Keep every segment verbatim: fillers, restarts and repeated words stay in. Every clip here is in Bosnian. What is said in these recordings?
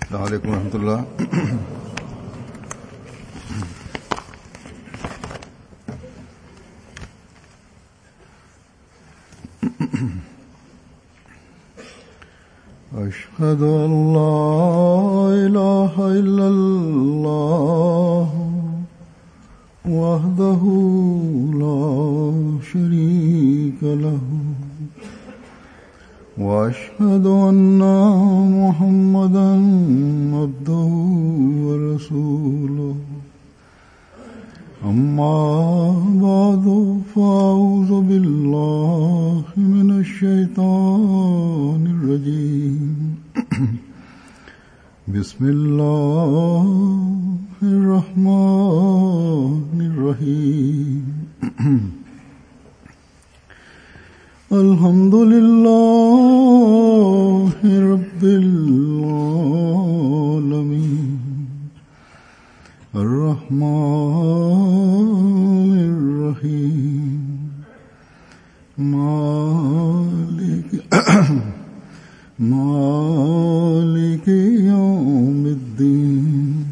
السلام عليكم ورحمة الله. أشهد أن لا إله إلا الله وحده لا شريك له وأشهد أن محمدا عبده ورسوله أما بعد فأعوذ بالله من الشيطان الرجيم بسم الله الرحمن الرحيم الحمد لله رب العالمين الرحمن الرحيم مالك مالك يوم الدين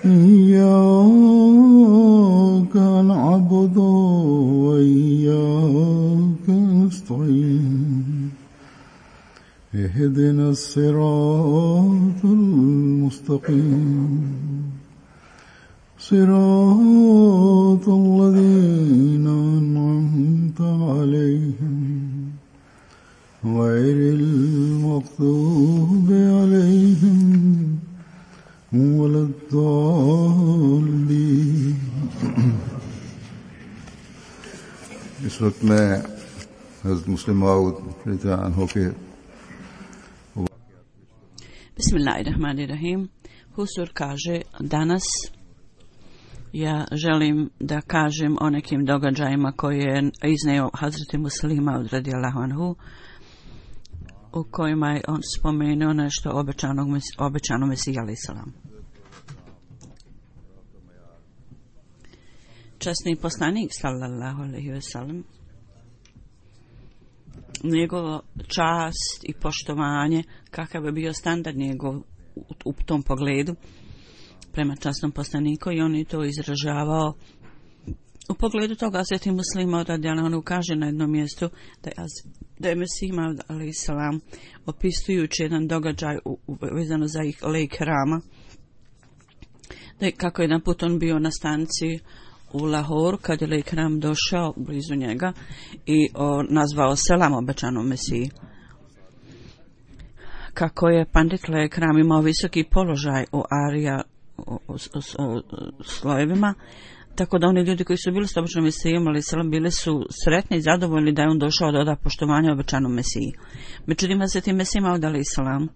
إياك نعبد وإياك نستعين اهدنا الصراط المستقيم صراط الذين أنعمت عليهم غير المغضوب عليهم ولا الضالين. इस वक्त मैं हज़रत मुस्लिम मऊद रज़ियल्लाहु अन्हु के Bismillahirrahmanirrahim. Husur kaže, danas ja želim da kažem o nekim događajima koje je izneo Hazreti Muslima radijallahu anhu, u kojima je on spomenuo nešto obećanog, obećano Mesija alejhi selam. Časni poslanik sallallahu alejhi ve sellem, njegova čast i poštovanje, kakav je bio standard njegov u, u tom pogledu prema časnom poslaniku, i on je to izražavao u pogledu toga. Sveti Muslima radijallahu anhu kaže na jednom mjestu da je, da je Mesija alejhi selam, opisujući jedan događaj u, u, vezano za ih lejk Rama, da je, kako jedan put on bio na stanici u Lahoru, kad je lejk Ram došao blizu njega i o, nazvao selam obećanom Mesiji. Kako je pandit lejk Ram imao visoki položaj u Arija u, u, u, u slojevima, tako da oni ljudi koji su bili s obećanom Mesijom alejhi selam bili su sretni i zadovoljni da je on došao da oda poštovanje obećanom Mesiji. Međutim, Hazreti Mesija alejhi selam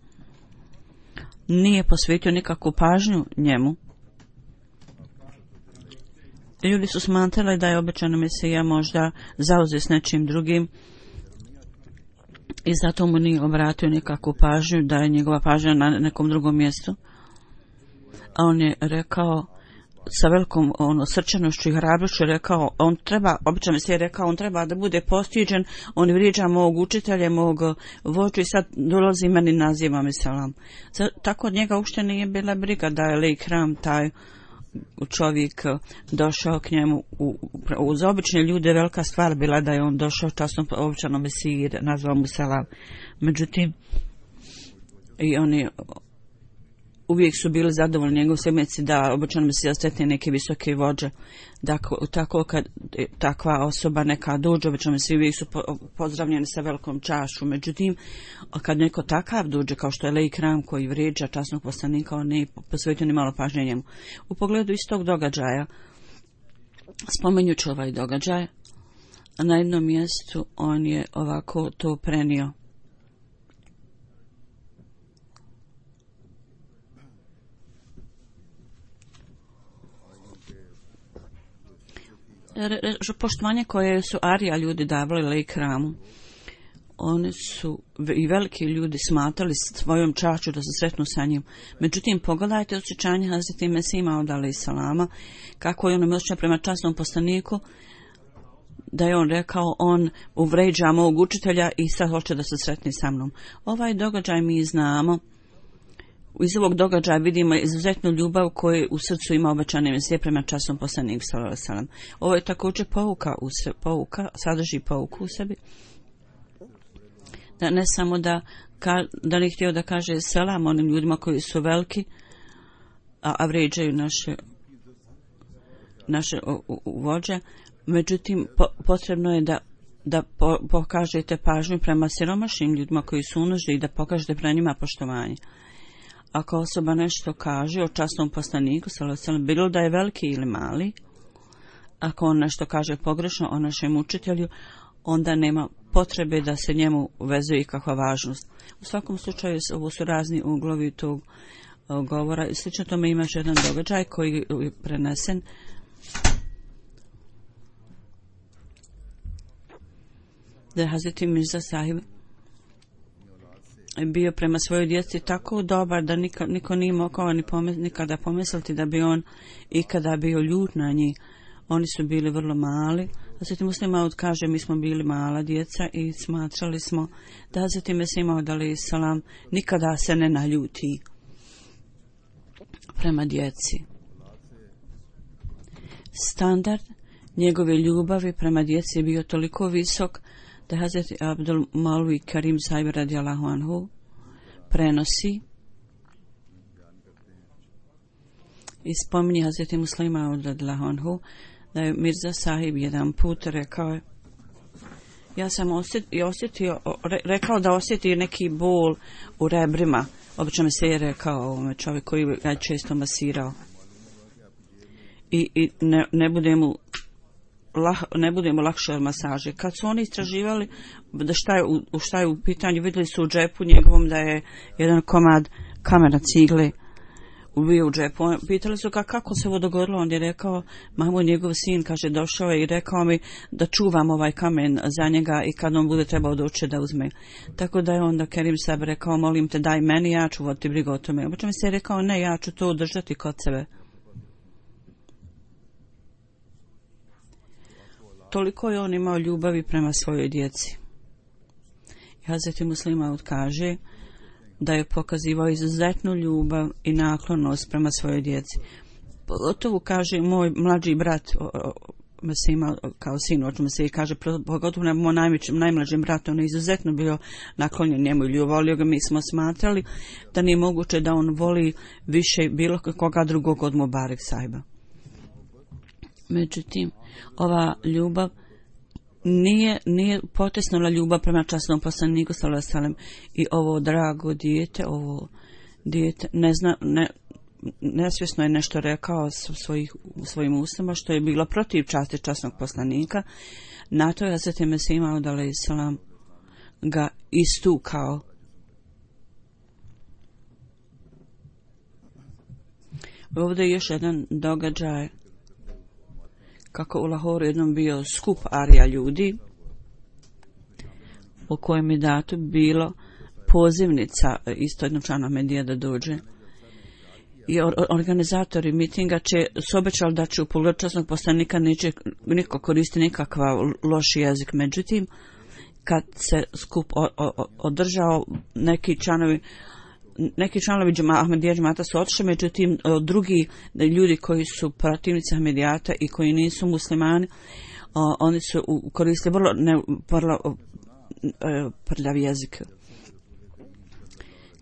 nije posvetio nikakvu pažnju njemu. Ljudi su smatrali da je obećana Mesija možda zauzet s nečim drugim i zato mu nije obratio nikakvu pažnju, da je njegova pažnja na nekom drugom mjestu. A on je rekao sa velikom ono, srčanošću i hrabrošću, rekao, on treba, obećana Mesija je rekao, on treba da bude postiđen, on vrijeđa mog učitelja, mog vođu i sad dolazi meni naziva me selam. Tako od njega uopšte nije bila briga da je lejk Ram taj čovjek došao k njemu. U, uz obične ljude velika stvar bila da je on došao časnom obećanom Mesiji, nazvao mu selam. Međutim, i oni uvijek su bili zadovoljni njegov semeci da obećanom Mesija sretne neke visoke vođe. Dakle, tako kad takva osoba neka dođe, obećanom Mesiji uvijek su po, pozdravljeni sa velikom čašću. Međutim, kad neko takav dođe kao što je lejk Ram koji vrijeđa časnog poslanika, on ne posvetio ni malo pažnje njemu. U pogledu istog događaja, spomenjući ovaj događaj, na jednom mjestu on je ovako to prenio. Poštovanje koje su Arija ljudi davali lejk Ramu, oni su i veliki ljudi smatrali svojom čašću da se sretnu sa njim. Međutim, pogledajte osjećanje Hazreti Mesija alejhi selama, kako je on osjećao prema časnom poslaniku, da je on rekao on uvređa mog učitelja i sad hoće da se sretni sa mnom. Ovaj događaj mi znamo. Iz ovog događaja vidimo izuzetnu ljubav koju u srcu ima obećani Mesija prema časnom poslaniku sallallahu alejhi ve sellem. Ovo je također pouka, u se, pouka, sadrži pouku u sebi. Da ne samo da, ka, da ne htio da kaže selam onim ljudima koji su veliki, a, a vređaju naše, naše u, u, vođe, međutim po, potrebno je da da po, pokažete pažnju prema siromašnim ljudima koji su u nuždi i da pokažete prema njima poštovanje. Ako osoba nešto kaže o časnom poslaniku, bilo da je veliki ili mali, ako on nešto kaže pogrešno o našem učitelju, onda nema potrebe da se njemu vezuje ikakva važnost. U svakom slučaju, ovo su razni uglovi tog govora. Slično tome imaš jedan događaj koji je prenesen. Da je Hazreti Mirza Sahib bio prema svojoj djeci tako dobar da niko, niko nije mogao ni pomis, nikada pomisliti da bi on ikada bio ljut na njih. Oni su bili vrlo mali. Hazreti Muslima Maud kaže, mi smo bili mala djeca i smatrali smo da Hazreti Mesih Maud alejhi selam nikada se ne naljuti prema djeci. Standard njegove ljubavi prema djeci je bio toliko visok da Hazreti Abdul Malvi Karim Sahib radijallahu anhu prenosi i spominje Hazreti Muslima Maud radijallahu anhu da je Mirza Sahib jedan put rekao, ja sam osjetio, osjetio rekao da osjeti neki bol u rebrima. Obično mi se je rekao ovome čovjek koji ga često masirao. I, i ne, ne bude mu lah, ne budemo lakše od masaže. Kad su oni istraživali da šta je u, šta je u pitanju, vidjeli su u džepu njegovom da je jedan komad kamena cigle bio u džepu. Pitali su ga kako se ovo dogodilo, on je rekao, mamo, njegov sin, kaže, došao je i rekao mi da čuvam ovaj kamen za njega i kad on bude trebao doći da uzme. Tako da je onda Kerim Sahib rekao, molim te daj meni, ja ću voditi brigu o tome. Obično mi se je rekao, ne, ja ću to držati kod sebe. Toliko je on imao ljubavi prema svojoj djeci. Hazreti Muslima Maud kaže da je pokazivao izuzetnu ljubav i naklonost prema svojoj djeci. Pogotovo kaže moj mlađi brat, Mesih Maud kao sin, o čemu se i kaže, pogotovo na moj najmlađim bratom, on je izuzetno bio naklonjen njemu i ljubavio ga. Mi smo smatrali da nije moguće da on voli više bilo koga drugog od Mubarak Sahiba. Međutim, ova ljubav nije, nije potesnula ljubav prema časnom poslaniku sallallahu alejhi ve sellem i ovo drago dijete, ovo dijete ne zna, ne, nesvjesno je nešto rekao svojih, svojim ustima što je bilo protiv časti časnog poslanika. Na to je Hazreti Mesih Maud alejhi selam ga istukao. Ovdje je još jedan događaj kako u Lahoru jednom bio skup arija ljudi u kojem je dato bilo pozivnica isto jednog člana Ahmedija da dođe. I organizatori mitinga će se obećali da će u pogledu časnog poslanika neće niko koristiti nikakav loš jezik. Međutim, kad se skup o, o, održao, neki članovi neki članovi Ahmedija džemata su otišli, međutim drugi ljudi koji su protivnici Ahmedijata i koji nisu muslimani, oni su koristili vrlo, ne, vrlo prljav jezik.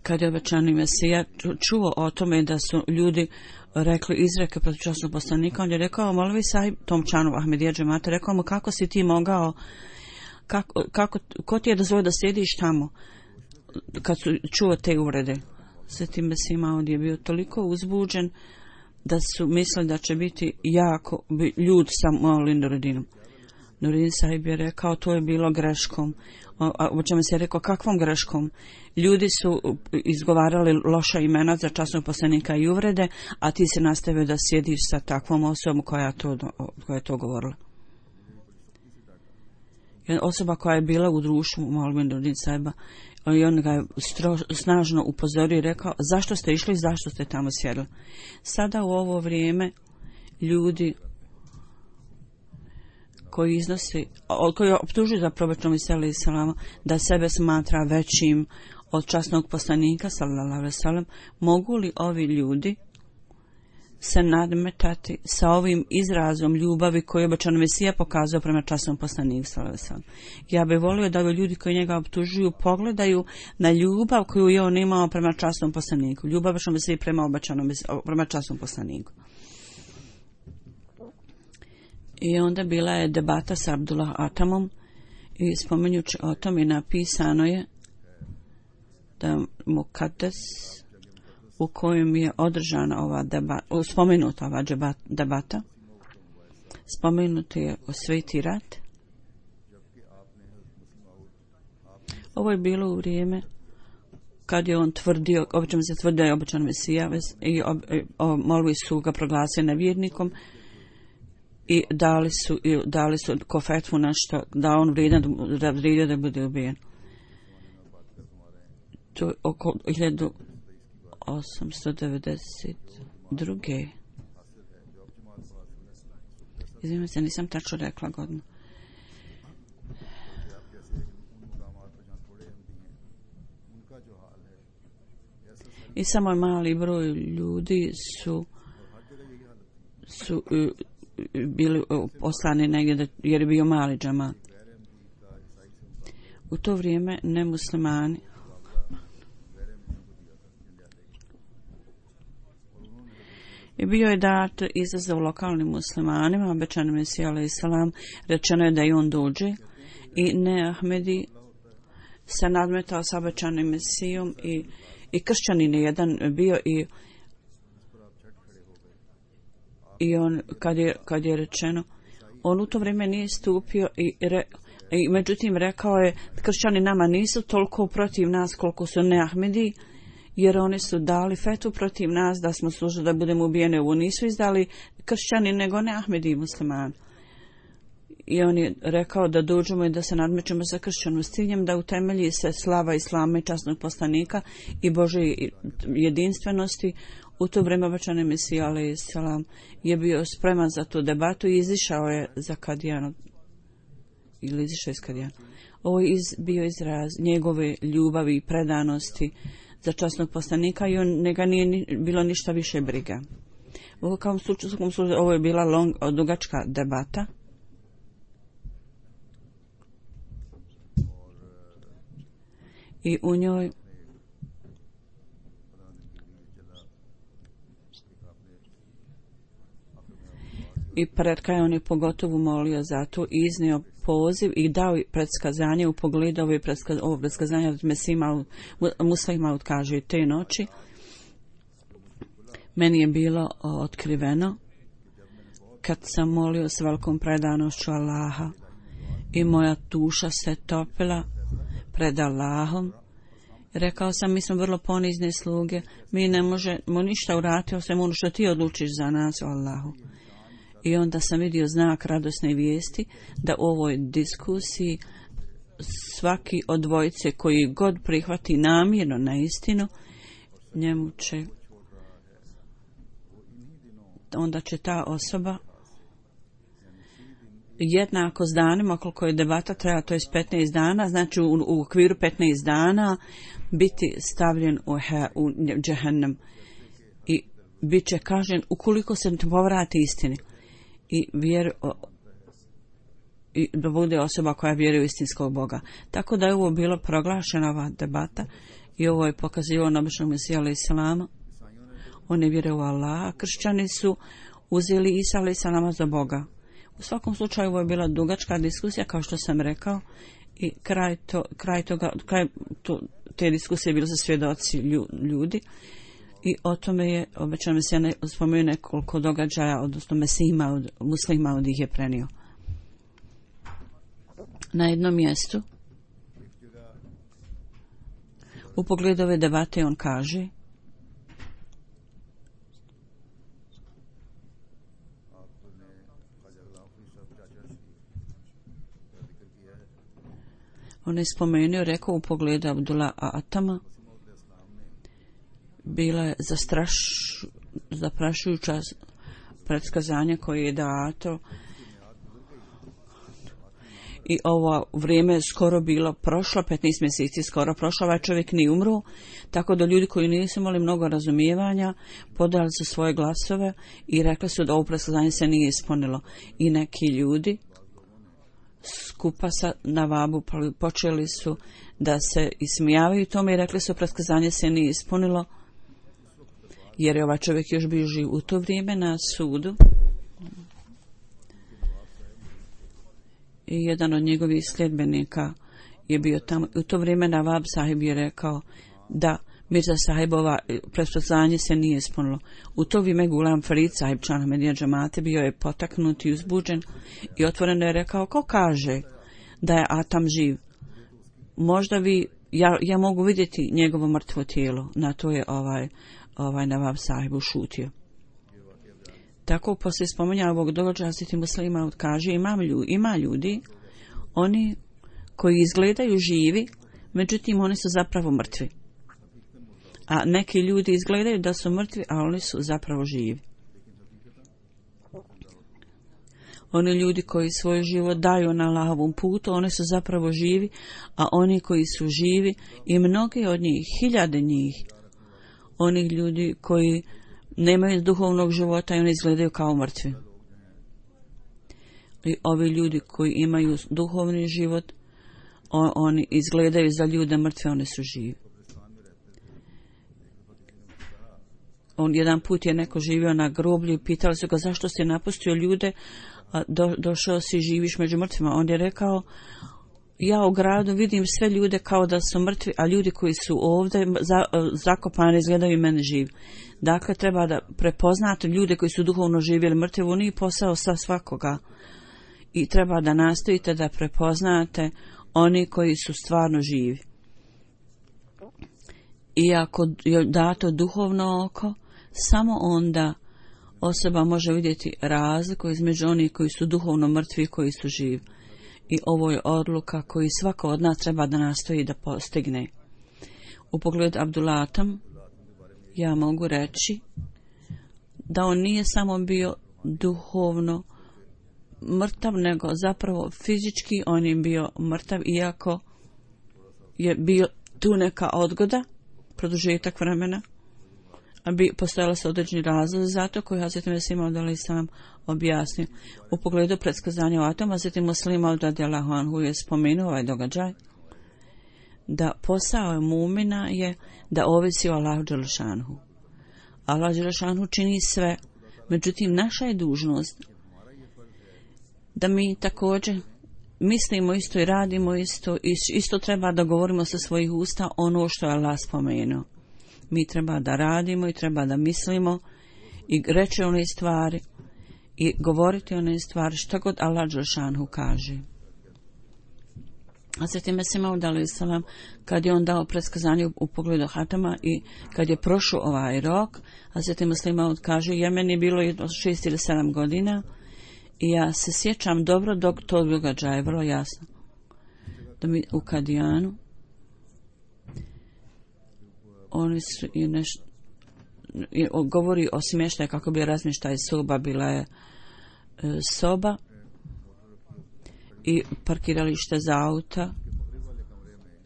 Kad je obećani Mesija čuo o tome da su ljudi rekli izreke protiv časnog poslanika, on je rekao, Molvi Sahib, tom članu Ahmedija džemata, rekao mu, kako si ti mogao, kako, kako, ko ti je dozvolio da sjediš tamo? Kad su čuo te uvrede, Sveti Mesih Maud je bio toliko uzbuđen da su mislili da će biti jako ljud sa Maulin Nurudinom. Nuruddin Sahib je rekao, to je bilo greškom. O čemu se je rekao, kakvom greškom? Ljudi su izgovarali loša imena za časnog poslanika i uvrede, a ti se nastavio da sjediš sa takvom osobom koja, to, koja je to govorila. Osoba koja je bila u društvu Maulin Nuruddin Sahiba, i on ga je stro, snažno upozorio i rekao, zašto ste išli, zašto ste tamo sjedili. Sada u ovo vrijeme ljudi koji iznosi, koji optužuje za probećnom Isa salama da sebe smatra većim od časnog poslanika sallallahu alejhi ve sellem, mogu li ovi ljudi se nadmetati sa ovim izrazom ljubavi koji je obećan Mesija pokazao prema časnom poslaniku sallallahu alejhi ve sellem? Ja bih volio da ovi ljudi koji njega optužuju pogledaju na ljubav koju je on imao prema časnom poslaniku. Ljubav obećan Mesija prema obećanom prema časnom poslaniku. I onda bila je debata sa Abdullah Atamom i spominjući o tom i napisano je da Mukaddes u kojem je održana ova debata, spomenuta ova debata, spomenuti je o Sveti rat. Ovo je bilo u vrijeme kad je on tvrdio, obično se tvrdio je obećan Mesija i molvi su ga proglasili nevjernikom i dali su, i dali su ko fetvu nešto da on vrijedan da vrijedio da bude ubijen. To je oko hiljadu osamsto devedeset druge. Izvijem se, nisam tačno rekla godinu. I samo mali broj ljudi su su bili poslani negdje jer je bio mali džamat. U to vrijeme nemuslimani i bio je dat izazov lokalnim muslimanima, obećan Mesija alejhi selam, rečeno je da i on dođe i ne Ahmedi se nadmetao sa obećanim Mesijom i, i kršćanin je jedan bio i i on kad je, kad je rečeno on u to vrijeme nije stupio i, re, i međutim rekao je kršćani nama nisu toliko protiv nas koliko su ne Ahmedi, jer oni su dali fetu protiv nas da smo služili da budemo ubijeni. Ovo nisu izdali kršćani nego ne Ahmedi muslimani. I on je rekao da dođemo i da se nadmećemo sa kršćanom s ciljem da utemelji se slava islama i časnog poslanika i Božje jedinstvenosti. U to vrijeme obećani Mesija alejhi selam je bio spreman za tu debatu i izišao je za Kadijanu ili izišao iz Kadijana. Ovo je iz, bio izraz njegove ljubavi i predanosti za časnog poslanika i on njega nije ni, bilo ništa više briga. Ovo, kao slučaju, ovo je bila long, dugačka debata. I u njoj i pred kraj on je pogotovo molio za to i iznio poziv i dao predskazanje u pogledu ove predskaz, ovo predskazanje od Mesima Muslima kaže te noći. Meni je bilo otkriveno kad sam molio s velikom predanošću Allaha i moja duša se topila pred Allahom. Rekao sam, mi smo vrlo ponizne sluge, mi ne možemo ništa uraditi osim ono što ti odlučiš za nas, o Allahu. I onda sam vidio znak radosne vijesti da u ovoj diskusiji svaki od dvojice koji god prihvati namjerno na istinu, njemu će onda će ta osoba jednako s danima koliko je debata treba, to je petnaest dana, znači u, u okviru petnaest dana biti stavljen u, he, u džehennem i bit će kažen ukoliko se povrati istini i vjeru i da bude osoba koja vjeruje u istinskog Boga. Tako da je ovo bilo proglašena ova debata i ovo je pokazivao na običnog Mesija alejhi selama. On je vjerovao u Allaha. Kršćani su uzeli Isa alejhi selama za Boga. U svakom slučaju ovo je bila dugačka diskusija, kao što sam rekao, i kraj, to, kraj, toga, kraj to, te diskusije bilo za svjedoci ljudi i o tome je obećan Mesija ne, spomenuo nekoliko događaja, odnosno Mesima od muslima od ih je prenio. Na jednom mjestu u pogledu ove debate on kaže on je spomenuo, rekao u pogledu Abdullah Atama bila je zastraš, zaprašujuća predskazanja koje je dato I ovo vrijeme je skoro bilo prošlo, petnaest mjeseci skoro prošlo, ovaj čovjek nije umro, tako da ljudi koji nisu imali mnogo razumijevanja podali su svoje glasove i rekli su da ovo predskazanje se nije ispunilo. I neki ljudi skupa sa Navabu počeli su da se ismijavaju tome i rekli su predskazanje se nije ispunilo, jer je ovaj čovjek još bio živ u to vrijeme na sudu. I jedan od njegovih sljedbenika je bio tamo. U to vrijeme Navab sahib je rekao da Mirza sahibova predskazanje se nije ispunilo. U to vrijeme Gulam Farid sahib član Ahmedija džamate bio je potaknut i uzbuđen i otvoreno je rekao, ko kaže da je Atam živ? Možda vi, ja, ja mogu vidjeti njegovo mrtvo tijelo. Na to je ovaj, ovaj Navab sahib ušutio. Tako poslije spominja ovog događaja Hazreti Muslima kaže ima ljudi, ima ljudi, oni koji izgledaju živi, međutim oni su zapravo mrtvi. A neki ljudi izgledaju da su mrtvi, a oni su zapravo živi. Oni ljudi koji svoj život daju na Allahovom putu, oni su zapravo živi, a oni koji su živi i mnogi od njih, hiljade njih, oni ljudi koji nemaju duhovnog života i oni izgledaju kao mrtvi. I ovi ljudi koji imaju duhovni život, on, oni izgledaju za ljude mrtve, oni su živi. On jedan put je neko živio na groblju i pitali su ga zašto si napustio ljude, a do, došao si živiš među mrtvima. On je rekao, ja u gradu vidim sve ljude kao da su mrtvi, a ljudi koji su ovdje za, zakopani izgledaju mene živi. Dakle, treba da prepoznate ljude koji su duhovno živjeli mrtvi, on nije posao sa svakoga. I treba da nastojite da prepoznate oni koji su stvarno živi. I ako je dato duhovno oko, samo onda osoba može vidjeti razliku između onih koji su duhovno mrtvi i koji su živi. I ovo je odluka koju svako od nas treba da nastoji da postigne. U pogledu Abdulatam, ja mogu reći da on nije samo bio duhovno mrtav, nego zapravo fizički on je bio mrtav, iako je bio tu neka odgoda, produžetak vremena, a bi postojala se određeni razlog za to koji Hazreti Mesih Maud alejhi selam objasnio. U pogledu predskazanja o Atomu, Hazreti Muslim Maud radijallahu anhu je spomenuo ovaj događaj da posao mumina je da ovisi o Allahu dželle šanuhu. Allah dželle šanuhu čini sve, međutim naša je dužnost da mi također mislimo isto i radimo isto, i isto treba da govorimo sa svojih usta ono što je Allah spomenuo. Mi treba da radimo i treba da mislimo i reći one stvari i govoriti one stvari što god Allah dželle šanuhu kaže. A Hazreti Mesih Maud alejhi selam, kad je on dao predskazanje u, u pogledu hatama i kad je prošao ovaj rok, Hazreti Mesih Maud kaže, ja meni je bilo jedno šest ili sedam godina i ja se sjećam dobro dok to događaja je vrlo jasno. Da mi u Kadijanu oni su i nešto govori o smještaju kako bi razmještaj soba, bila je e, soba i parkiralište za auta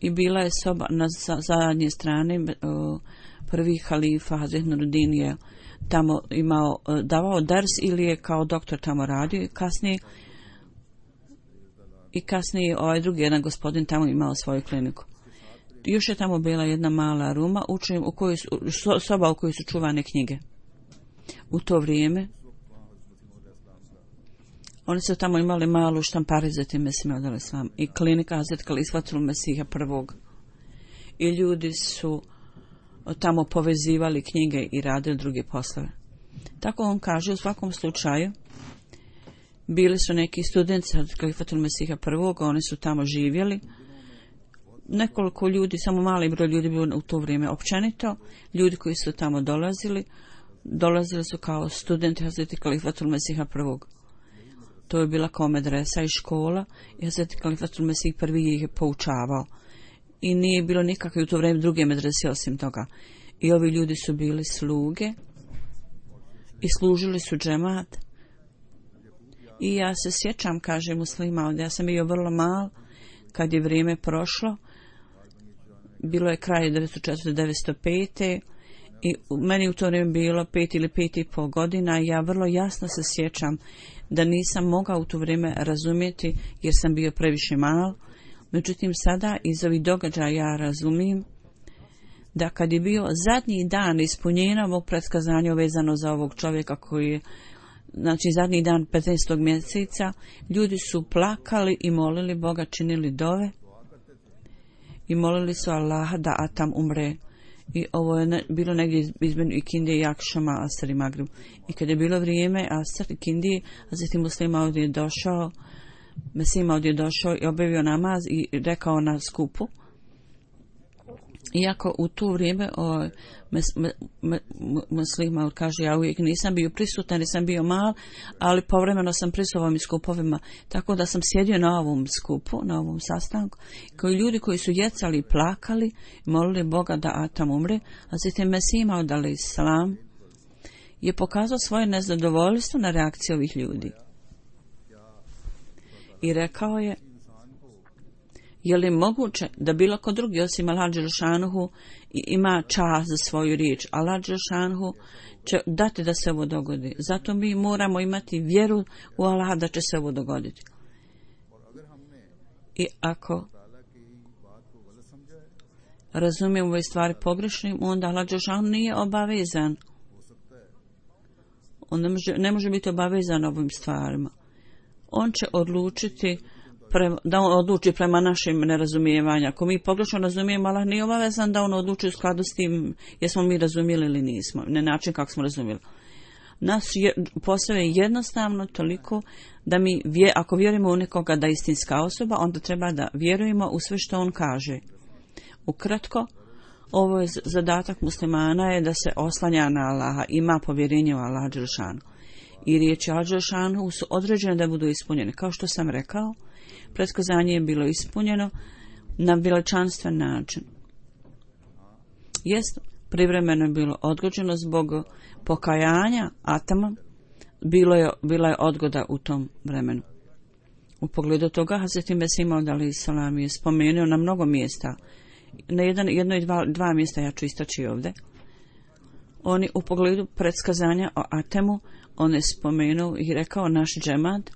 i bila je soba na zadnje strane. Prvi halifa Hazret Nuruddin je tamo imao, davao ders ili je kao doktor tamo radio i kasnije i kasnije ovaj drugi jedan gospodin tamo imao svoju kliniku. Još je tamo bila jedna mala ruma učim, u kojoj su, soba u kojoj su čuvane knjige. U to vrijeme oni su tamo imali malu štampari za time Mesih Maud alejhi selam i klinika Hazret Kalifatul Mesiha prvog. I ljudi su tamo povezivali knjige i radili druge poslove. Tako on kaže, u svakom slučaju bili su neki studenti Hazret Kalifatul Mesiha prvog, oni su tamo živjeli. Nekoliko ljudi, samo mali broj ljudi bio u to vrijeme općenito, ljudi koji su tamo dolazili, dolazili su kao studenti Hazreti Kalifatul Mesiha prvog. To je bila kao medresa i škola i Hazreti Kalifatul Mesih prvi ih je poučavao. I nije bilo nikakve u to vrijeme druge medrese osim toga. I ovi ljudi su bili sluge i služili su džemat I ja se sjećam, kaže Muslima, ja sam bio vrlo mal kad je vrijeme prošlo. Bilo je kraj devetsto četvrte do devetsto pete i meni u to vrijeme bilo pet ili pet i pol godina. Ja vrlo jasno se sjećam da nisam mogao u to vrijeme razumjeti jer sam bio previše mal. Međutim, sada iz ovih događaja ja razumijem da kad je bio zadnji dan ispunjenja ovog predskazanja vezano za ovog čovjeka koji je, znači zadnji dan petnaestog mjeseca, ljudi su plakali i molili Boga, činili dove i molili su Allaha da Atam umre. I ovo je ne, bilo negdje između Ikindije i Akšama, Asr i Magrib. I kad je bilo vrijeme Asr i Ikindije, Hazreti Muslima ovdje je došao, Mesima ovdje je došao i obavio namaz i rekao na skupu. Iako u to vrijeme o, mes, me, me, Muslima kaže, ja uvijek nisam bio prisutan, nisam bio mal, ali povremeno sam prisutan ovim skupovima, tako da sam sjedio na ovom skupu, na ovom sastanku, koji ljudi koji su jecali i plakali, molili Boga da Atam umre, a zatim Mesima odali salam, je pokazao svoje nezadovoljstvo na reakciju ovih ljudi. I rekao je, je li moguće da bilo ko drugi osim Allah dželešanuhu ima čast za svoju riječ? Allah dželešanuhu će dati da se ovo dogodi. Zato mi moramo imati vjeru u Allah da će se ovo dogoditi. I ako razumijemo ove stvari pogrešnim, onda Allah dželešanuhu nije obavezan. On ne može, ne može biti obavezan ovim stvarima. On će odlučiti Pre, da on odluči prema našim nerazumijevanju. Ako mi pogrešno razumijemo, Allah nije obavezan da on odluči u skladu s tim jesmo mi razumijeli ili nismo, na način kako smo razumijeli. Nas je, posao je jednostavno toliko da mi, vje, ako vjerujemo u nekoga da je istinska osoba, onda treba da vjerujemo u sve što on kaže. Ukratko, ovo je zadatak muslimana je da se oslanja na Allaha, ima povjerenje u Allaha dželešanu. I riječi Allaha dželešanu su određene da budu ispunjene. Kao što sam rekao, predskazanje je bilo ispunjeno na veličanstven način. Jest, privremeno je bilo odgođeno zbog pokajanja Atama, bilo je, bila je odgoda u tom vremenu. U pogledu toga Hazreti Mesih alejhi selam je spomenuo na mnogo mjesta, na jedan, jedno i dva, dva mjesta ja ću istaći ovdje. Oni u pogledu predskazanja o Atemu, on je spomenuo i rekao naš džemat,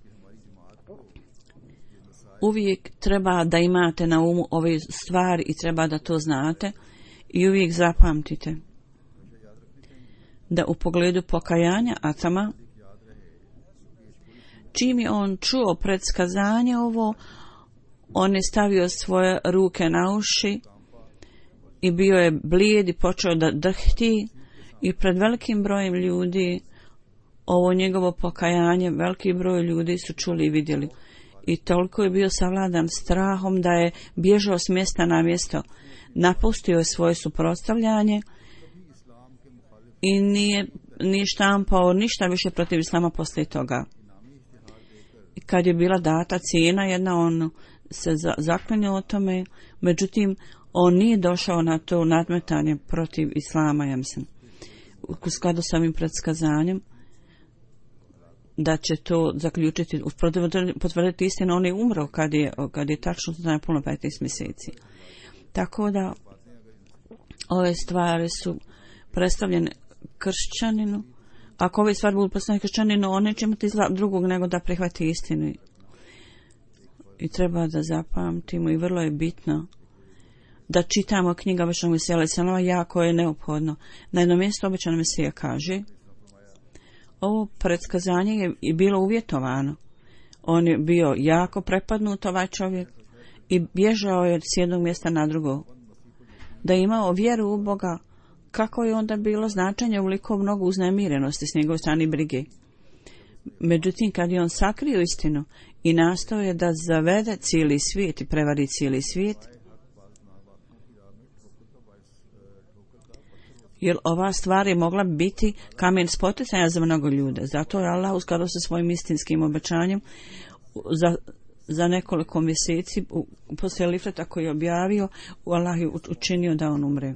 uvijek treba da imate na umu ove stvari i treba da to znate i uvijek zapamtite da u pogledu pokajanja Atama, čim je on čuo predskazanje ovo, on je stavio svoje ruke na uši i bio je blijed i počeo da drhti i pred velikim brojem ljudi ovo njegovo pokajanje, veliki broj ljudi su čuli i vidjeli. I toliko je bio savladan strahom da je bježao s mjesta na mjesto, napustio je svoje suprotstavljanje i nije, nije štampao ništa više protiv islama poslije toga. I kad je bila data cijena jedna, on se za, zaklinio o tome, međutim on nije došao na to nadmetanje protiv islama, ja mislim, u skladu s ovim predskazanjem da će to zaključiti, potvrditi istinu, on je umro kad je, kad je tačno znao puno petnaest mjeseci. Tako da ove stvari su predstavljene kršćaninu. Ako ove stvari budu predstavljene kršćaninu, on neće imati drugog nego da prihvati istinu. I treba da zapamtimo i vrlo je bitno da čitamo knjiga obećanog Mesija alejhi selam, jako je neophodno. Na jednom mjestu obećani Mesija kaže, ovo predskazanje je bilo uvjetovano. On je bio jako prepadnut, ovaj čovjek, i bježao je s jednog mjesta na drugo. Da je imao vjeru u Boga, kako je onda bilo značenje uliko mnogo uznemirenosti s njegove strane brige. Međutim, kad je on sakrio istinu i nastao je da zavede cijeli svijet i prevari cijeli svijet, jer ova stvar je mogla biti kamen spoticanja za mnogo ljude. Zato je Allah uskladao sa svojim istinskim obećanjem za, za nekoliko mjeseci poslije Lifreta koji je objavio, Allah je učinio da on umre.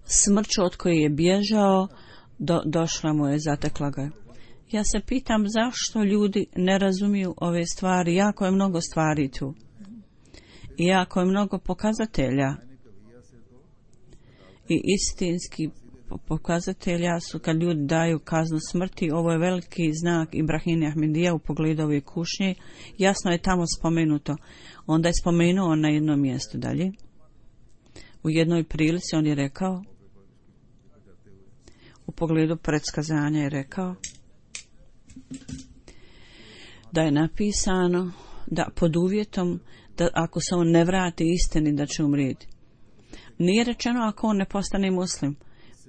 Smrću od koje je bježao do, došla mu je, zatekla ga. Ja se pitam zašto ljudi ne razumiju ove stvari. Jako je mnogo stvari tu. I jako je mnogo pokazatelja. I istinski pokazatelja su kad ljudi daju kaznu smrti. Ovo je veliki znak Ibrahima Ahmedija u pogledu ove kušnje. Jasno je tamo spomenuto. Onda je spomenuo na jednom mjestu dalje. U jednoj prilici on je rekao, u pogledu predskazanja je rekao, da je napisano da pod uvjetom da ako se on ne vrati istini da će umrijeti. Nije rečeno ako on ne postane muslim,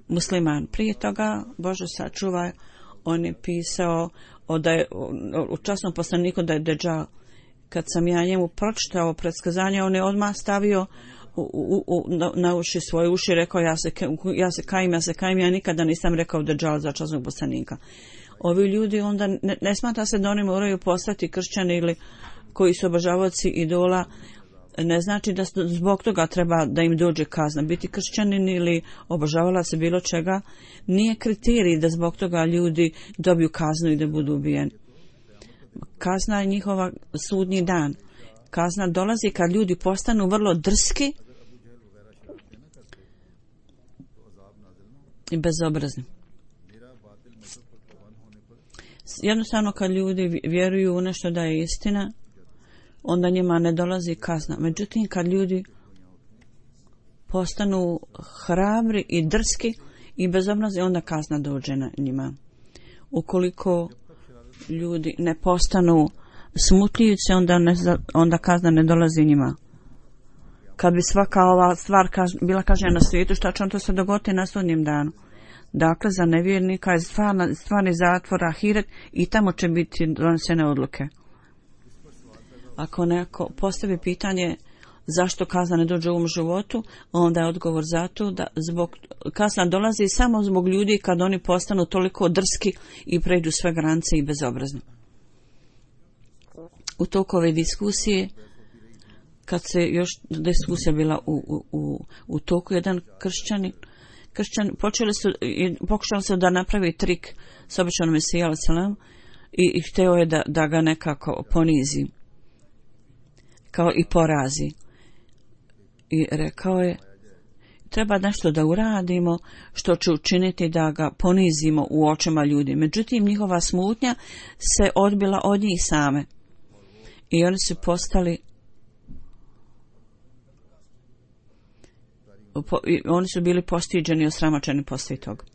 musliman. Prije toga, Bože sačuvaj, on je pisao o da je, u časnom poslaniku da je Dejjal. Kad sam ja njemu pročitao predskazanje, on je odmah stavio u, u, u, na, na uši svoje uši, rekao ja se, ja se kajim, ja se kajim, ja nikada nisam rekao Dejjal za časnog poslanika. Ovi ljudi onda ne, ne smatra se da oni moraju postati kršćani ili koji su obožavaoci idola, ne znači da zbog toga treba da im dođe kazna. Biti kršćanin ili obožavala se bilo čega nije kriterij da zbog toga ljudi dobiju kaznu i da budu ubijeni. Kazna je njihova sudnji dan. Kazna dolazi kad ljudi postanu vrlo drski i bezobrazni. Jednostavno kad ljudi vjeruju u nešto da je istina, onda njima ne dolazi kazna. Međutim, kad ljudi postanu hrabri i drski i bezobrazni, onda kazna dođe na njima. Ukoliko ljudi ne postanu smutljivice, onda, ne, onda kazna ne dolazi njima. Kad bi svaka ova stvar kaž, bila kažnjena na svijetu, šta će on to se dogoditi na sudnjem danu? Dakle, za nevjernika je stvarni, stvarni zatvor ahiret i tamo će biti donesene odluke. Ako neko postavi pitanje zašto kazna ne dođe u ovom životu, onda je odgovor zato da zbog, kazna dolazi samo zbog ljudi kad oni postanu toliko drski i pređu sve granice i bezobrazni. U toku ove diskusije, kad se još diskusija bila u, u, u, u toku, jedan kršćanin, kršćan, počeli su, pokušali su da napravi trik s običanom Mesija alaih selam i, i hteo je da, da ga nekako ponizi, kao i porazi. I rekao je, treba nešto da uradimo što će učiniti da ga ponizimo u očima ljudi. Međutim, njihova smutnja se odbila od njih same. I oni su postali po, i oni su bili postiđeni i osramoćeni poslije toga.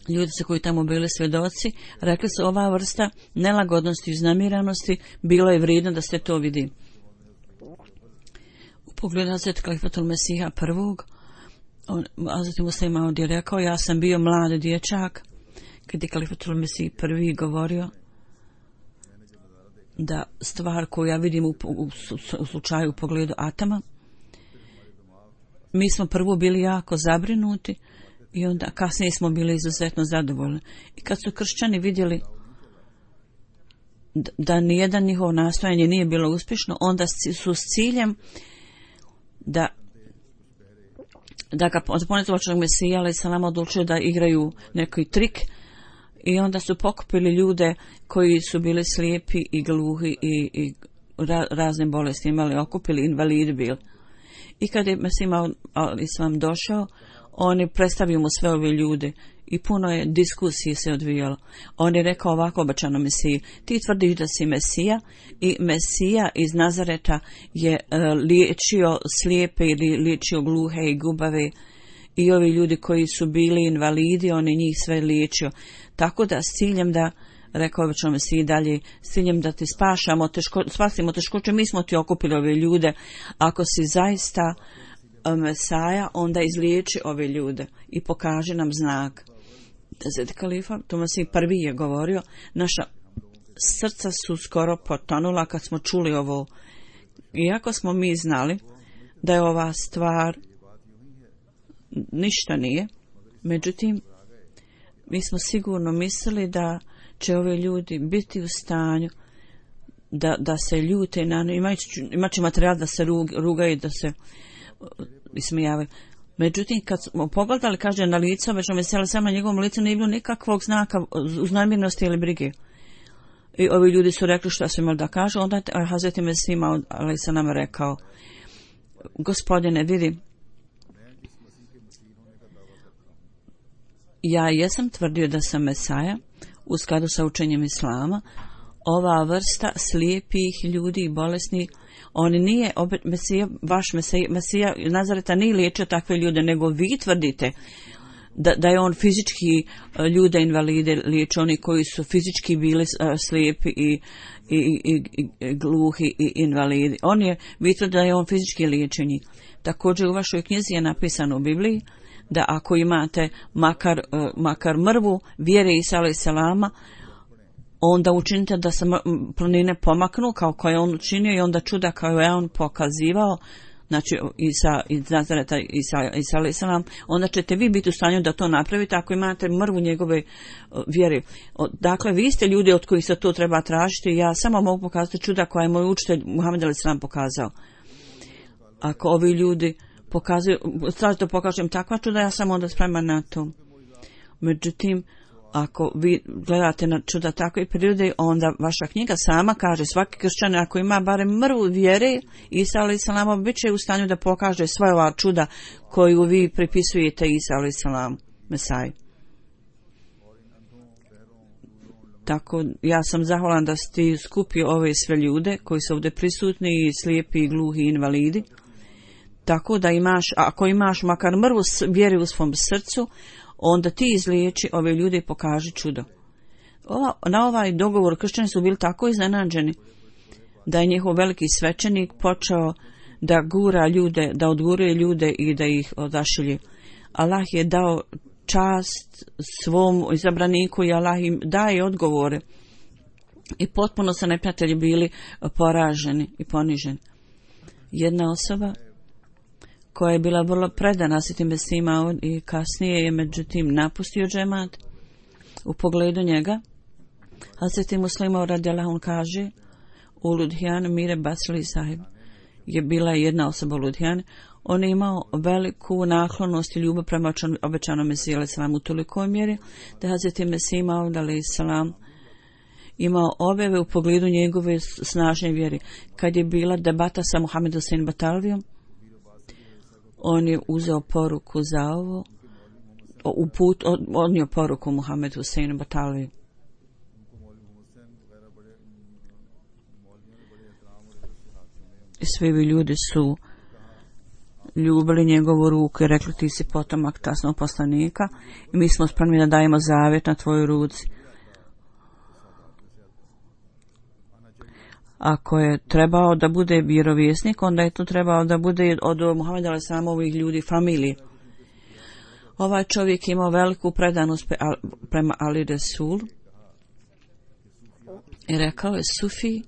Ljudi su koji tamo bili svjedoci, rekli su ova vrsta nelagodnosti i uznemiranosti bilo je vrijedno da se to vidi. U pogledu Hazreti Kalifatul Mesiha prvog, on, Hazreti Muslim Maud je rekao, ja sam bio mlad dječak, kad je Kalifatul Mesih prvi govorio da stvar koju ja vidim u, u, u slučaju u pogledu atama, mi smo prvo bili jako zabrinuti i onda kasnije smo bili izuzetno zadovoljni. I kad su kršćani vidjeli da nijedan njihov nastojanje nije bilo uspješno, onda su s ciljem da da ga ponetovačnog Mesija alaih selam odlučio da igraju neki trik i onda su pokupili ljude koji su bili slijepi i gluhi i, i ra, razne bolesti imali, okupili, invalidi bili. I kad je Mesija alaih selam došao, on je predstavio mu sve ove ljude i puno je diskusije se odvijalo. On je rekao ovako obećano Mesiji, ti tvrdiš da si Mesija i Mesija iz Nazareta je uh, liječio slijepe ili liječio gluhe i gubave i ovi ljudi koji su bili invalidi, on je njih sve liječio. Tako da s ciljem da, rekao obećano Mesiji dalje, s ciljem da ti spašamo, teško, spasimo teškoće, mi smo ti okupili ove ljude. Ako si zaista Mesaja, onda izliječi ove ljude i pokaže nam znak. Hazreti Kalifa, to Mesih prvi je govorio, naša srca su skoro potonula kad smo čuli ovo. Iako smo mi znali da je ova stvar ništa nije, međutim, mi smo sigurno mislili da će ove ljudi biti u stanju da, da se ljute na imajući, imajući materijal da se rug, rugaju, da se ismijavaju. Međutim, kad smo pogledali, kaže, na licu, već me sela sam na njegovom licu nije bilo nikakvog znaka uznamirnosti ili brige. I ovi ljudi su rekli što su imali da kažu, onda je Hazreti Mesih Maud ali se nam rekao, gospodine, vidi, ja jesam tvrdio da sam Mesaja u skladu sa učenjem Islama. Ova vrsta slijepih ljudi i bolesnih, on nije, opet, Mesija, vaš Mesija, Mesija Nazareta nije liječio takve ljude, nego vi tvrdite da, da je on fizički ljude invalide liječio, oni koji su fizički bili slijepi i, i, i, i gluhi i invalidi. On je, vi tvrdite da je on fizički liječio njih. Također u vašoj knjizi je napisano u Bibliji da ako imate makar, makar mrvu vjere Isa alejhi selama, onda učinite da se planine pomaknu kao koje on učinio i onda čuda kao je on pokazivao, znači Isa iz Nazareta, Isa, Isa alejhi selam, onda ćete vi biti u stanju da to napravite ako imate mrvu njegove vjere. Dakle, vi ste ljudi od kojih se to treba tražiti, ja samo mogu pokazati čuda koje je moj učitelj Muhammed alejhi selam pokazao. Ako ovi ljudi pokazuju, tražite da pokažem takva čuda, ja sam onda spreman na to. Međutim, ako vi gledate na čuda takve prirode, onda vaša knjiga sama kaže, svaki kršćan ako ima barem mrvu vjere, Isa alejhi selam bit će u stanju da pokaže sva ova čuda koju vi pripisujete Isa alejhi selam, Mesaj. Tako, ja sam zahvalan da ste skupio ove sve ljude koji su ovdje prisutni i slijepi i gluhi invalidi. Tako da imaš, ako imaš makar mrvu vjere u svom srcu, onda ti izliječi ove ljude i pokaži čudo. Ova, na ovaj dogovor kršćani su bili tako iznenađeni da je njihov veliki svećenik počeo da gura ljude, da odguruje ljude i da ih odašilje. Allah je dao čast svom izabraniku i Allah im daje odgovore. I potpuno su neprijatelji bili poraženi i poniženi. Jedna osoba koja je bila vrlo predana Hazreti Mesih Maud i kasnije je međutim napustio džemat u pogledu njega. Hazreti Muslim Maud radijallahu anhu kaže, u Ludhijan Mire Basli sahib je bila jedna osoba u Ludhijan. On je imao veliku naklonost i ljubav prema obećanom Mesiju alejhi selam u tolikoj mjeri da je Hazreti Mesih Maud alejhi selam imao objave u pogledu njegove snažne vjere. Kad je bila debata sa Muhammed Hussein Batalvijom, on je uzeo poruku za ovo, u put, odnio poruku Muhammed Hussein Batalviju. I svi vi ljudi su ljubili njegovu ruku i rekli, ti si potomak tasnog poslanika i mi smo spremni da dajemo zavjet na tvojoj ruci. Ako je trebao da bude vjerovjesnik, onda je to trebao da bude od Muhameda alejhi selamovih ljudi, familije. Ovaj čovjek imao veliku predanost prema Ali Resul i rekao je, Sufi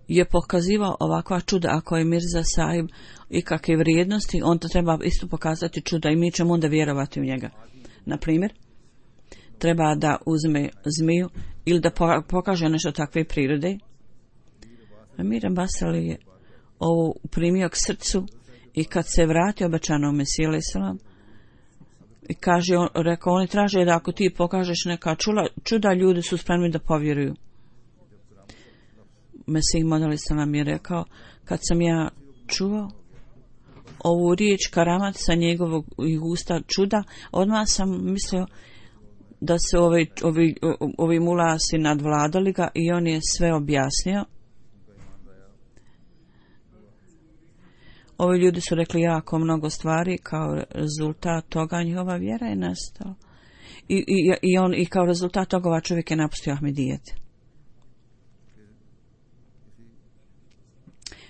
je pokazivao ovakva čuda, ako je Mirza Sahib i kakve vrijednosti, on to treba isto pokazati čuda i mi ćemo onda vjerovati u njega. Na primjer, treba da uzme zmiju ili da pokaže nešto takve prirode. Mir Basali je ovo primio k srcu i kad se vratio obećanom Mesiju alejhi selam i kaže, on, rekao, oni traže da ako ti pokažeš neka čula, čuda, ljudi su spremni da povjeruju. Mesih Maud alejhi selam je rekao, kad sam ja čuo ovu riječ karamat sa njegovog usta čuda, odmah sam mislio da se ovi, ovi, ovi mulasi nadvladali ga i on je sve objasnio. Ovi ljudi su rekli jako mnogo stvari, kao rezultat toga njihova vjera je nastala. I, i, i, on, i kao rezultat toga ova čovjek je napustio Ahmedijet.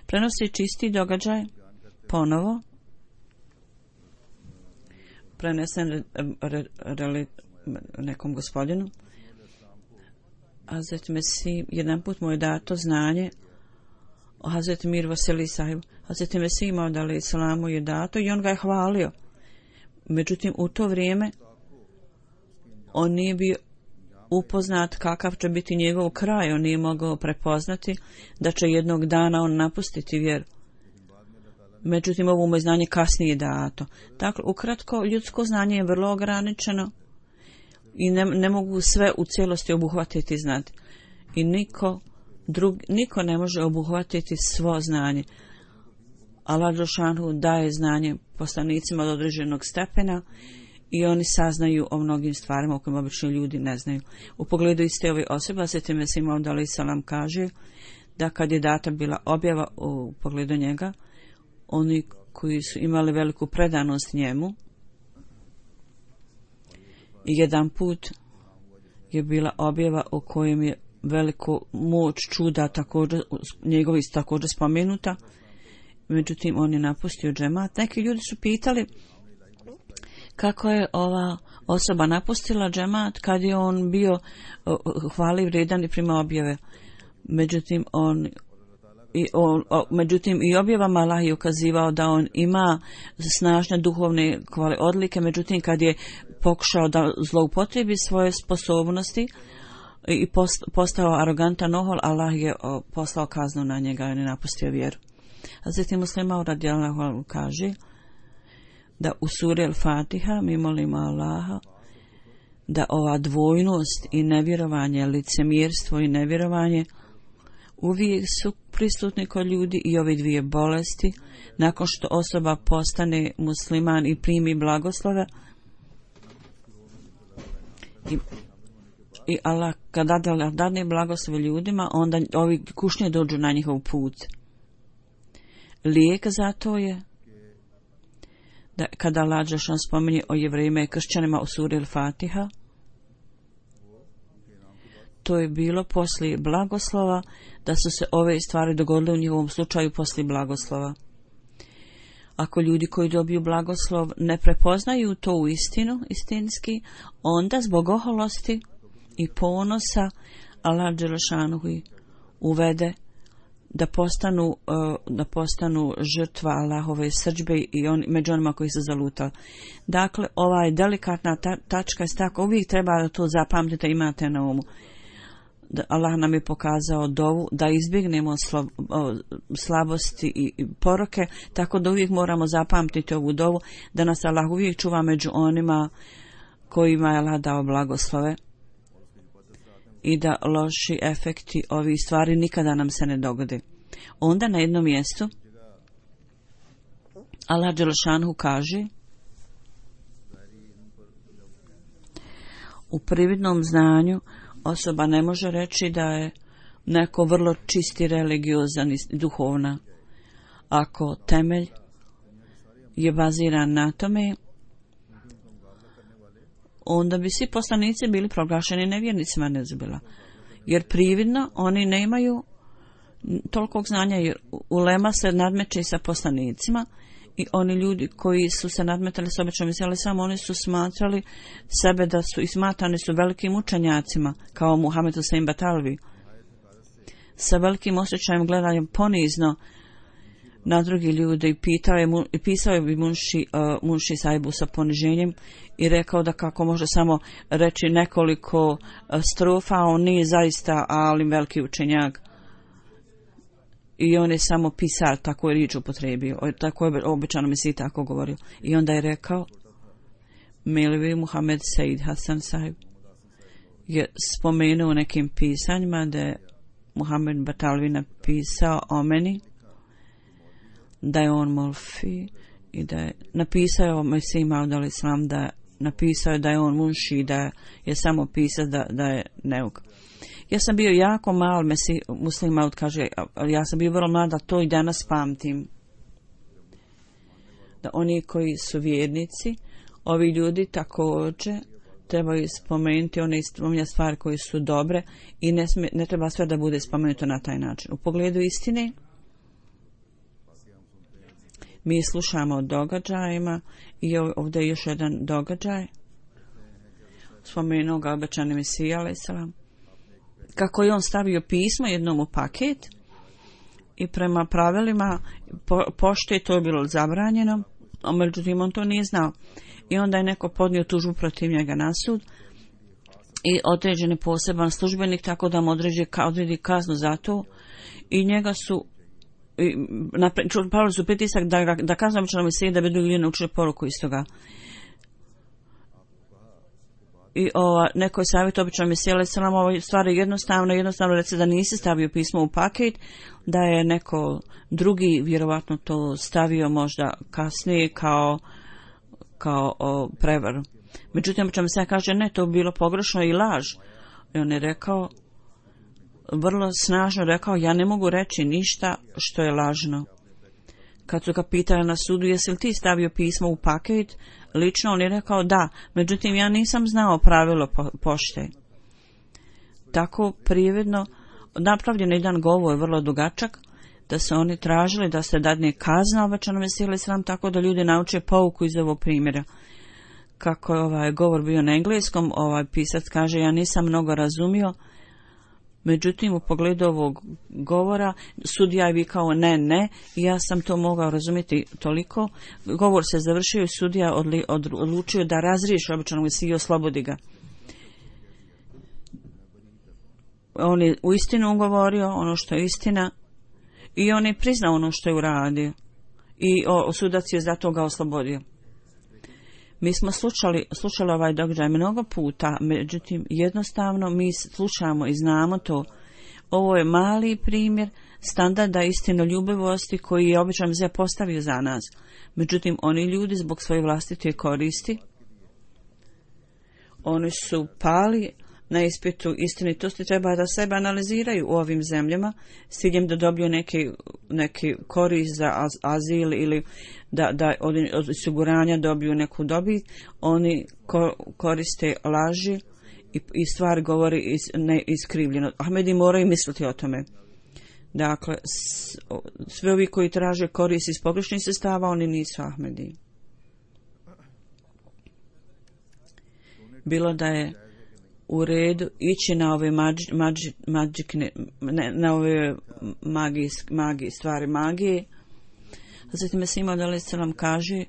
Prenosi čisti događaj ponovo. Prenesen re, re, re, nekom gospodinu. Hazret Mesih, jedan put mu je dato znanje o Hazret Mir Vasili sahibu. Hazret Mesih Maud alejhi selamu je dato i on ga je hvalio. Međutim, u to vrijeme on nije bio upoznat kakav će biti njegov kraj, on nije mogao prepoznati da će jednog dana on napustiti vjeru. Međutim, ovo mu je znanje kasnije dato. Dakle, ukratko, ljudsko znanje je vrlo ograničeno i ne, ne mogu sve u cijelosti obuhvatiti i znati. I niko, drug, niko ne može obuhvatiti svo znanje. Allah dželešanu daje znanje poslanicima do određenog stepena i oni saznaju o mnogim stvarima o kojima obični ljudi ne znaju. U pogledu iste ove osobe, Sveti Mesih Maud alejhi selam kaže da kad je data bila objava u pogledu njega, oni koji su imali veliku predanost njemu, i jedan put je bila objava u kojem je veliku moć čuda također, njegovi također spomenuta, međutim on je napustio džemat. Neki ljudi su pitali kako je ova osoba napustila džemat kad je on bio hvali vrijedan i prima objave. Međutim on I on, o, međutim i objavama Allah je ukazivao da on ima snažne duhovne kvale odlike, međutim kad je pokušao da zloupotrebi svoje sposobnosti i post, postao arogantan ohol, Allah je o, poslao kaznu na njega i on je napustio vjeru. A zatim Muslim Maud radijallahu anhu kaže da u suri Al-Fatiha mi molimo Allaha da ova dvojnost i nevjerovanje, licemjerstvo i nevjerovanje uvijek su prisutni kod ljudi i ove dvije bolesti nakon što osoba postane musliman i primi blagoslove i, i Allah kada dadne blagoslove ljudima, onda ovi kušnje dođu na njihov put. Lijek za to je da kada Allah dželešanu spominje o Jevrejima i kršćanima u suri Al-Fatiha, to je bilo poslije blagoslova, da su se ove stvari dogodile u njihovom slučaju poslije blagoslova. Ako ljudi koji dobiju blagoslov ne prepoznaju to u istinu, istinski, onda zbog oholosti i ponosa Allah dželešanu uvede da postanu, da postanu žrtva Allahove srdžbe i on, među onima koji su zalutali. Dakle, ova je delikatna ta, tačka, tako uvijek treba da to zapamtite, imate na umu. Da Allah nam je pokazao dovu da izbjegnemo slo, slabosti i, i poroke, tako da uvijek moramo zapamtiti ovu dovu, da nas Allah uvijek čuva među onima kojima je Allah dao blagoslove i da loši efekti ovih stvari nikada nam se ne dogode. Onda na jednom mjestu Allah dželešanu kaže u prividnom znanju osoba ne može reći da je neko vrlo čisti, religiozan i duhovna. Ako temelj je baziran na tome, onda bi svi poslanici bili proglašeni nevjernicima, ne zbila. Jer prividno oni nemaju tolikog znanja, jer ulema se nadmeće sa poslanicima i oni ljudi koji su se nadmetali s običnom ali samo oni su smatrali sebe da su i smatrani su velikim učenjacima kao Muhammed Husein Batalvi. Sa velikim osjećajem gledanjem ponizno na drugi ljude i pitao je, i pisao je bi Munši, uh, Munši Saibu sa poniženjem i rekao da kako može samo reći nekoliko uh, strofa, on nije zaista alim veliki učenjak. I on je samo pisar, tako je riječ upotrebio, tako je običano mi si tako govorio. I onda je rekao, Milvi Muhammed Said Hasan Sahib je spomenuo u nekim pisanjima da je Muhammed Batalvi napisao o meni, da je on Molfi i da je napisao o Mesih Maud alejhi selam, da je napisao da je on Munši, da je samo pisao da, da je neuk. Ja sam bio jako mal, Mesih Muslim Maud kaže, ja sam bio vrlo mlada, to i danas pamtim. Da oni koji su vjernici, ovi ljudi također trebaju spomenuti one stvari koje su dobre i ne, smije, ne treba sve da bude spomenuto na taj način. U pogledu istine, mi slušamo o događajima i ovdje je još jedan događaj. Spomenuo ga obećani Mesija alejhi selam. Kako je on stavio pismo jednom u paket i prema pravilima po, pošte to je bilo zabranjeno, a međutim on to nije znao. I onda je neko podnio tužbu protiv njega na sud i određen poseban službenik tako da mu odredi, odredi kaznu za to i njega su pravili su pritisak da, da kaznu običanom mesiji da bi drugi ljudi naučili poruku iz toga. I ova, neko je savjet običanom mesiji, ali se nam ovo stvari jednostavno, jednostavno reći da nisi stavio pismo u paket, da je neko drugi vjerovatno to stavio možda kasnije kao, kao o, prevar. Međutim, običanom mesija kaže ne, to bi bilo pogrešno i laž. I on je rekao, vrlo snažno rekao, ja ne mogu reći ništa što je lažno. Kad su ga pitali na sudu, jesi li ti stavio pismo u paket, lično on je rekao da, međutim ja nisam znao pravilo po, pošte. Tako prijevedno napravljen jedan govor, vrlo dugačak, da se oni tražili da se dadne kazna obećanom mesiji alejhi selam, tako da ljudi nauče pouku iz ovog primjera. Kako je ovaj govor bio na engleskom, ovaj pisac kaže, ja nisam mnogo razumio, međutim u pogledu ovog govora sudija je vikao ne, ne, i ja sam to mogao razumjeti toliko. Govor se završio i sudija odli, od, odlučio da razriješi običanog mesiju i oslobodi ga. On je u istinu govorio ono što je istina i on je priznao ono što je uradio i o, o sudac je zato ga oslobodio. Mi smo slušali, slušali ovaj događaj mnogo puta, međutim jednostavno mi slušamo i znamo to. Ovo je mali primjer standarda istinoljubivosti koji je običan mesija postavio za nas. Međutim, oni ljudi zbog svoje vlastite koristi, oni su pali na ispitu istinitosti, treba da sebe analiziraju u ovim zemljama s ciljem da dobiju neki, neki korist za az, azil ili da, da od, od osiguranja dobiju neku dobit. Oni ko, koriste laži i, i stvari govori iz, ne iskrivljeno. Ahmedi moraju misliti o tome. Dakle, s, sve ovi koji traže korist iz pogrešnih sredstava, oni nisu Ahmedi. Bilo da je u redu ići na ove mađi, mađi, mađikne, ne, na ove magije, magije, stvari magije. Hazreti Mesih Maud alejhi selam kaže,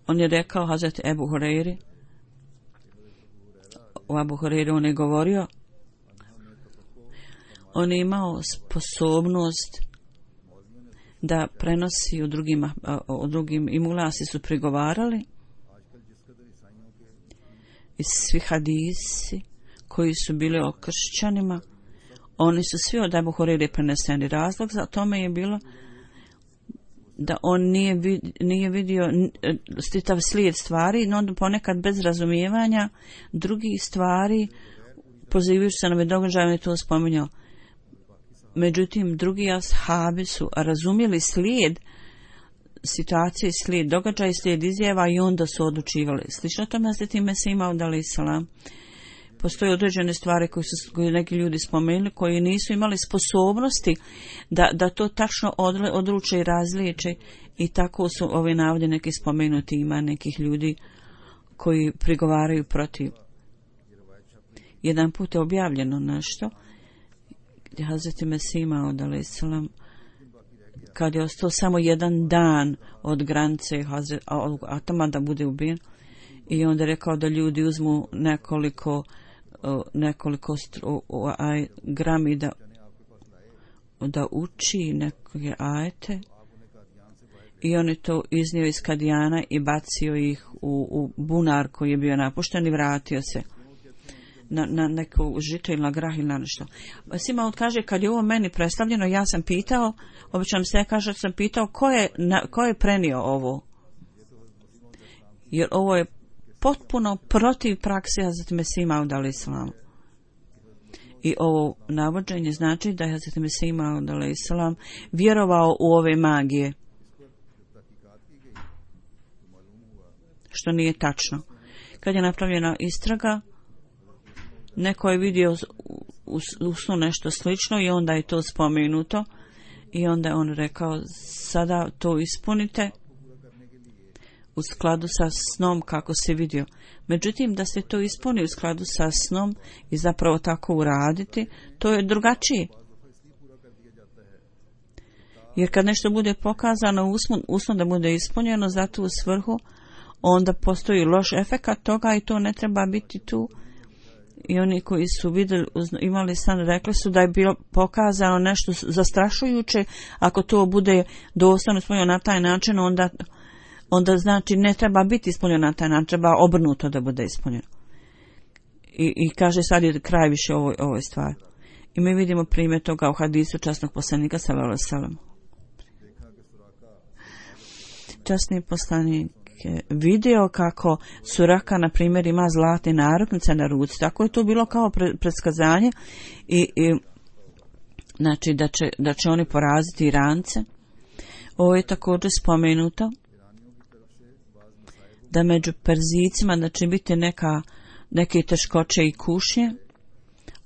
on je rekao Hazreti Ebu Hureyri, u Ebu Hureyri on je govorio, on je imao sposobnost da prenosi u drugim, u drugim i mulasi su prigovarali i svi hadisi koji su bili o kršćanima, oni su svi od Ebu Hureyre preneseni. Razlog za tome je bilo da on nije, vid, nije vidio čitav slijed stvari, no onda ponekad bez razumijevanja drugih stvari, pozivajući se na ove događaje, on je to spominjao. Međutim, drugi ashabi su razumjeli slijed situacije, slijed događaja, slijed izjava i onda su odlučivali. Slično tome Hazreti Mesih Maud alejhi selam. Postoje određene stvari koje su koje neki ljudi spomenuli, koji nisu imali sposobnosti da, da to tačno odle, odluče i razliječe i tako su ove navode neki spomenuti. Ima nekih ljudi koji prigovaraju protiv. Jedan put je objavljeno nešto gdje Hazreti Mesih Maud alejhi selam, kad je ostao samo jedan dan od granice atama da bude ubijen, i onda je rekao da ljudi uzmu nekoliko nekoliko aj, grami da da uči neke ajete i on je to iznio iz Kadijana i bacio ih u, u bunar koji je bio napušten i vratio se na, na neko žito ili na grah ili na nešto. Sima kaže, kad je ovo meni predstavljeno, ja sam pitao, obično se kaže, sam pitao ko je, na, ko je prenio ovo, jer ovo je potpuno protiv prakse Hazreti Mesih Maud alejhi selam. I ovo navođenje znači da je Hazreti Mesih Maud alejhi selam vjerovao u ove magije, što nije tačno. Kad je napravljena istraga, neko je vidio u, u snu nešto slično i onda je to spomenuto i onda je on rekao, sada to ispunite u skladu sa snom kako se vidio. Međutim, da se to ispuni u skladu sa snom i zapravo tako uraditi, to je drugačije. Jer kad nešto bude pokazano usnu, usnu da bude ispunjeno za tu svrhu, onda postoji loš efekat toga i to ne treba biti tu. I oni koji su vidjeli, imali san, rekli su da je bilo pokazano nešto zastrašujuće. Ako to bude doslovno ispunjeno na taj način, onda, onda znači ne treba biti ispunjeno na taj način, treba obrnuto da bude ispunjeno. I, i kaže sad je kraj više ovoj, ovoj stvari. I mi vidimo primjer toga u hadisu časnog poslanika sallallahu alejhi ve sellem. Časni poslanik vidio kako Suraka, na primjer, ima zlatne narukvice na ruci. Tako je to bilo kao pre, predskazanje i, i znači da će, da će oni poraziti Irance. Ovo je također spomenuto da među Perzicima da će biti neka, neke teškoće i kušnje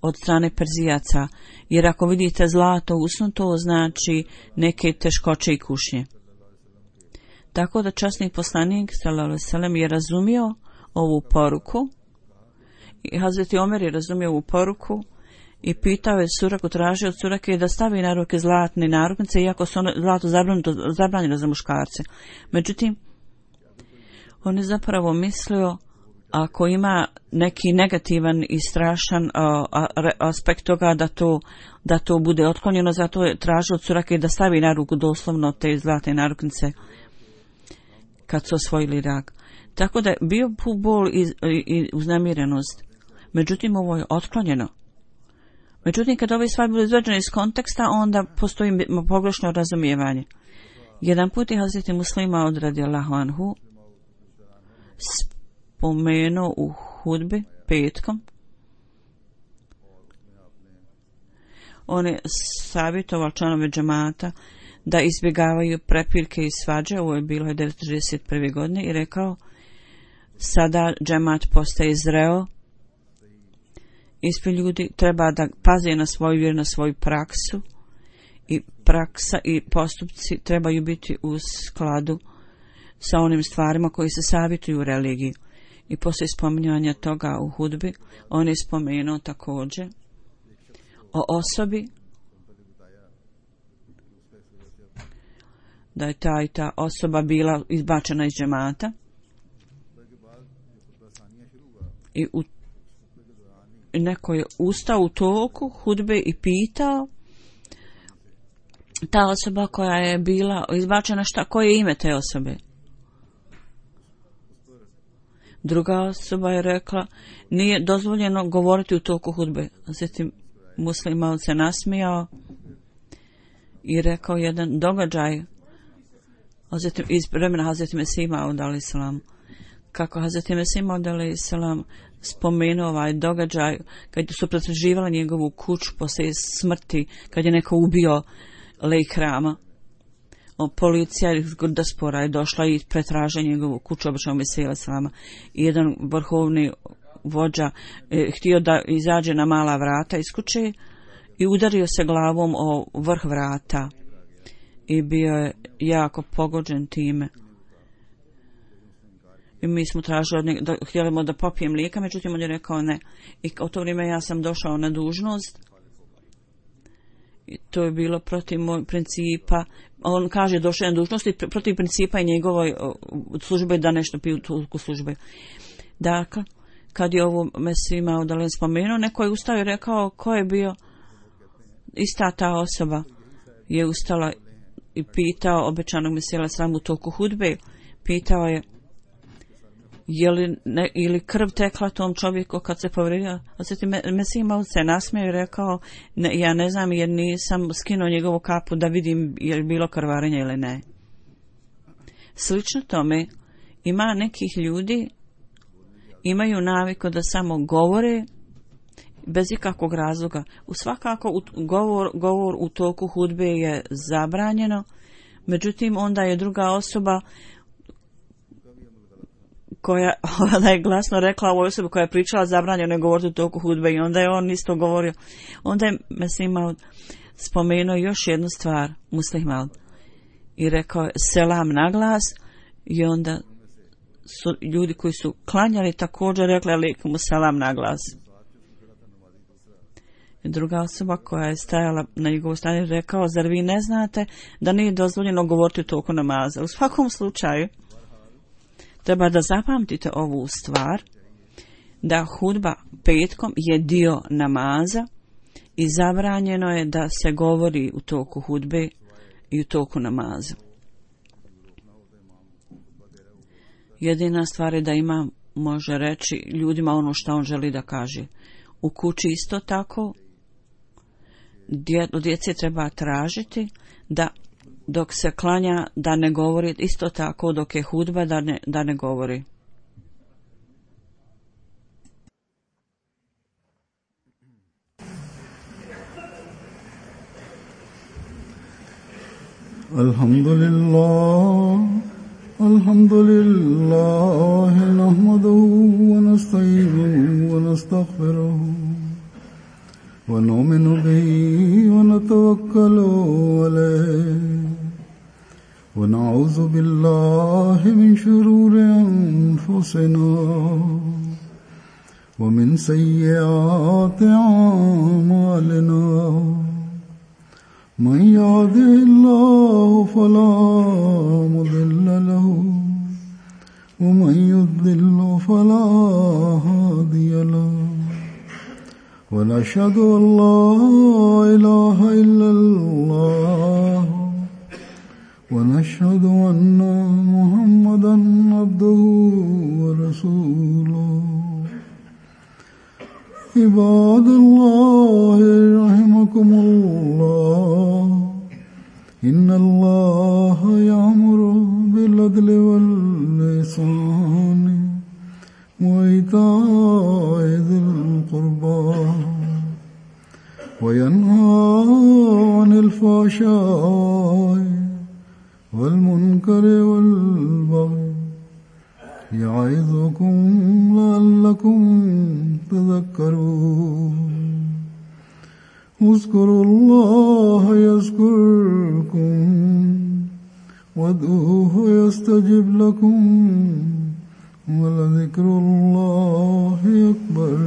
od strane Perzijaca. Jer ako vidite zlato usnuto, znači neke teškoće i kušnje. Tako da časni poslanik sallallahu alejhi ve sellem je razumio ovu poruku i Hazreti Omer je razumio ovu poruku i pitao je Suraku, tražio od Surake da stavi na ruke zlatne narukvice, iako su ono zlato zabranjeno za muškarce. Međutim, on je zapravo mislio ako ima neki negativan i strašan uh, aspekt toga da to, da to bude otklonjeno, zato je tražio od Surake da stavi na ruku doslovno te zlatne narukvice kad su osvojili Irak. Tako da je bio bol i, i, i uznemirenost. Međutim, ovo je otklonjeno. Međutim, kad ove stvari budu izvađene iz konteksta, onda postoji pogrešno razumijevanje. Jedan put je Hazreti Muslima od radijallahu anhu spomenuo u hudbi petkom. On je savjetoval članove džemata da izbjegavaju prepirke i svađe, ovo je bilo devetsto šezdeset prve godine, i rekao, sada džemat postaje zreo, ispred ljudi treba da paze na svoju vjeru, na svoju praksu, i praksa i postupci trebaju biti u skladu sa onim stvarima koji se savjetuju u religiji. I poslije spominjanja toga u hudbi, on je spomenuo također o osobi da je ta i ta osoba bila izbačena iz džemata i u, neko je ustao u toku hudbe i pitao ta osoba koja je bila izbačena, šta, koje je ime te osobe? Druga osoba je rekla, nije dozvoljeno govoriti u toku hudbe. Zatim Muslim se nasmijao i rekao jedan događaj Zatim, iz vremena Hazreti Mesih Maud alejhi selam, kako Hazreti Mesih Maud alejhi selam spomenuo ovaj događaj kad su pretraživali njegovu kuću poslije smrti, kad je neko ubio lejk hrama. Policija iz Gurdaspora je došla i pretražila njegovu kuću običnog Mesija alejhi selama. I jedan vrhovni vođa eh, htio da izađe na mala vrata iz kuće i udario se glavom o vrh vrata. I bio je jako pogođen time. I mi smo tražili, od njega, da, htjeli da popijem mlijeka, međutim on je rekao ne. I u to vrijeme ja sam došao na dužnost. I to je bilo protiv moj principa. On kaže došao na dužnost i protiv principa i njegovoj službe da nešto piju u službe. Dakle, kad je ovo Mesima Udalen spomenuo, neko je ustao i rekao ko je bio ista ta osoba. Je ustala i pitao obećanog Mesija sram u toku hudbe, pitao je je li ne, ili krv tekla tom čovjeku kad se povrijedio. Osjeti, Mesija Maud se nasmio i rekao ne, ja ne znam jer nisam skinuo njegovu kapu da vidim je li bilo krvarenja ili ne. Slično tome ima nekih ljudi imaju naviku da samo govore bez ikakvog razloga. U svakako u, govor, govor u toku hudbe je zabranjeno, međutim onda je druga osoba koja da je glasno rekla ovoj osobi koja je pričala zabranjeno je govoriti u toku hudbe i onda je on isto govorio. Onda je Mesih Maud spomenuo još jednu stvar, Muslih Maud, i rekao je selam na glas i onda su ljudi koji su klanjali također rekli alejkum selam na glas. Druga osoba koja je stajala na njegovu strani rekao, zar vi ne znate da nije dozvoljeno govoriti u toku namaza? U svakom slučaju treba da zapamtite ovu stvar, da hudba petkom je dio namaza i zabranjeno je da se govori u toku hudbe i u toku namaza. Jedina stvar je da imam može reći ljudima ono što on želi da kaže. U kući isto tako od djece treba tražiti da dok se klanja da ne govori, isto tako dok je hudba da ne, da ne govori. Alhamdulillah, alhamdulillah, nahmaduhu wa nasta'inuhu wa nastaghfiruhu wa nu'minu bihi wa natawakkalu alayhi wa na'udhu billahi min shururi anfusina wa min sayyiati a'malina. من يهده الله فلا مضل له ومن يضلل فلا هادي له ونشهد أن لا إله إلا الله ونشهد أن محمدا عبده ورسوله. عباد الله رحمكم الله إن الله يأمر بالعدل والإحسان وإيتاء ذي القربى وينهى عن الفحشاء والمنكر والبغي يعظكم لعلكم تذكرون. اذكروا الله يذكركم وادعوه يستجب لكم ولذكر الله أكبر.